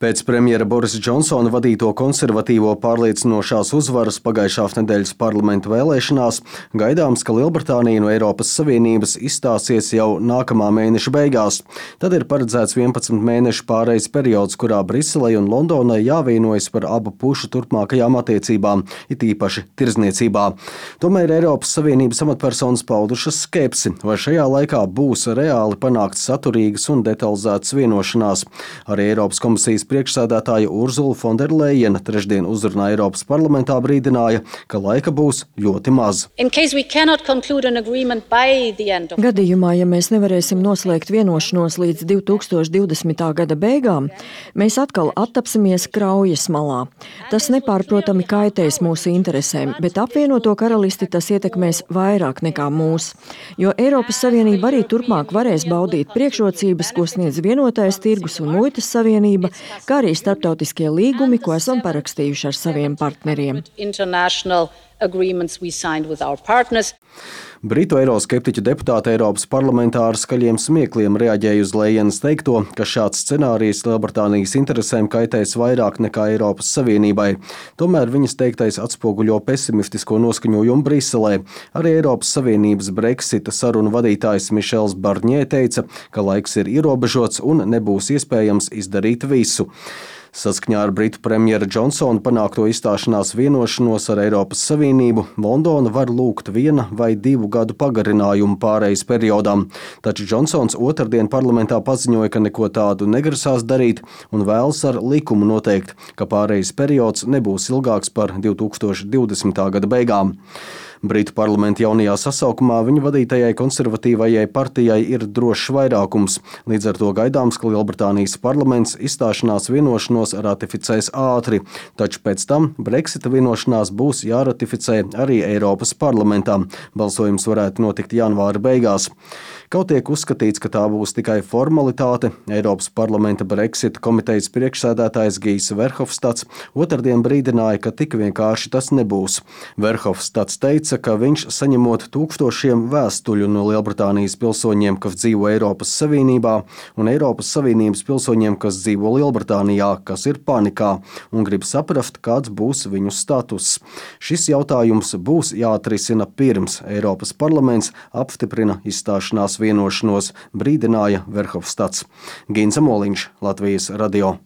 Pēc premjera Borisa Džonsona vadīto konservatīvo pārliecinošās uzvaras pagājušās nedēļas parlamentu vēlēšanās gaidāms, ka Lielbritānija no Eiropas Savienības izstāsies jau nākamā mēneša beigās. Tad ir paredzēts 11 mēnešu pārejas periods, kurā Briselei un Londonai jāvienojas par abu pušu turpmākajām attiecībām, it īpaši tirdzniecībā. Tomēr Eiropas Savienības amatpersonas paudušas skepsi, vai šajā laikā būs reāli panākts saturīgas un detalizētas vienošanās. Arī Eiropas komisijas priekšsēdētāja Urzula Fonderlejena trešdien uzrunā Eiropas parlamentā brīdināja, ka laika būs ļoti maz. Gadījumā, ja mēs nevarēsim noslēgt vienošanos līdz 2020. gada beigām, mēs atkal attapsimies kraujas malā. Tas nepārprotami kaitēs mūsu interesēm, bet apvienoto karalisti tas ietekmēs vairāk nekā mūs, jo Eiropas Savienība arī turpmāk varēs baudīt priekšrocības, ko sniedz vienotais tirgus un muitas savienība, kā arī starptautiskie līgumi, ko esam parakstījuši ar saviem partneriem. Britu eiroskeptiķu deputāti Eiropas parlamentā ar skaļiem smiekliem reaģēja uz Lejenas teikto, ka šāds scenārijs Lielbritānijas interesēm kaitēs vairāk nekā Eiropas Savienībai. Tomēr viņas teiktais atspoguļo pesimistisko noskaņojumu Briselē. Arī Eiropas Savienības Brexita sarunu vadītājs Mišels Barņē teica, ka laiks ir ierobežots un nebūs iespējams izdarīt visu. Saskaņā ar Britu premjera Džonsona panākto izstāšanās vienošanos ar Eiropas Savienību, Londona var lūgt 1 vai 2 gadu pagarinājumu pārejas periodam, taču Džonsons otrdien parlamentā paziņoja, ka neko tādu negrasās darīt un vēlas ar likumu noteikt, ka pārejas periods nebūs ilgāks par 2020. gada beigām. Britu parlamenta jaunajā sasaukumā viņa vadītajai konservatīvajai partijai ir drošs vairākums. Līdz ar to gaidāms, ka Lielbritānijas parlaments izstāšanās vienošanos ratificēs ātri, taču pēc tam Brexita vienošanās būs jāratificē arī Eiropas parlamentā. Balsojums varētu notikt janvāra beigās. Kaut tiek uzskatīts, ka tā būs tikai formalitāte, Eiropas parlamenta Brexita komitejas priekšsēdētājs Gijs Verhofstads otrdien brīdināja, ka tik vienkārši tas nebūs. Verhofstads teica, ka viņš saņemot tūkstošiem vēstuļu no Lielbritānijas pilsoņiem, kas dzīvo Eiropas Savienībā, un Eiropas Savienības pilsoņiem, kas dzīvo Lielbritānijā, kas ir panikā un grib saprast, kāds būs viņu status. Šis jautājums būs jāatrisina pirms Eiropas parlaments apstiprina izstāšanās vienošanos, brīdināja Verhofstads. Ginza Moliņš, Latvijas radio.